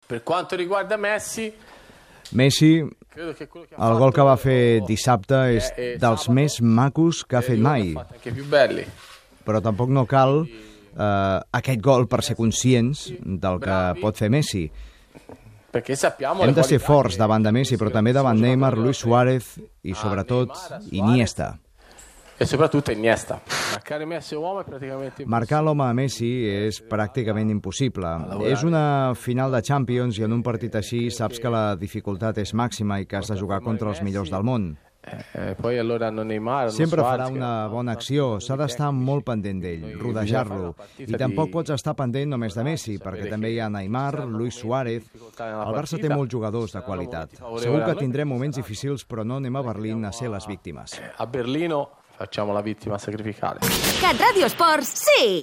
Per quanto riguarda Messi, el gol que va fer dissabte és dels més macos que ha fet mai. Però tampoc no cal aquest gol per ser conscients del que pot fer Messi. Hem de ser forts davant de Messi, però també davant Neymar, Luis Suárez i, sobretot, Iniesta. Marcar l'home a Messi és pràcticament impossible. És una final de Champions i en un partit així saps que la dificultat és màxima i que has de jugar contra els millors del món. Sempre farà una bona acció, s'ha d'estar molt pendent d'ell, rodejar-lo. I tampoc pots estar pendent només de Messi, perquè també hi ha Neymar, Luis Suárez. El Barça té molts jugadors de qualitat. Segur que tindrem moments difícils, però no anem a Berlín a ser les víctimes. A Berlino facciamo la vittima sacrificale. Cat Radio Sports, sí!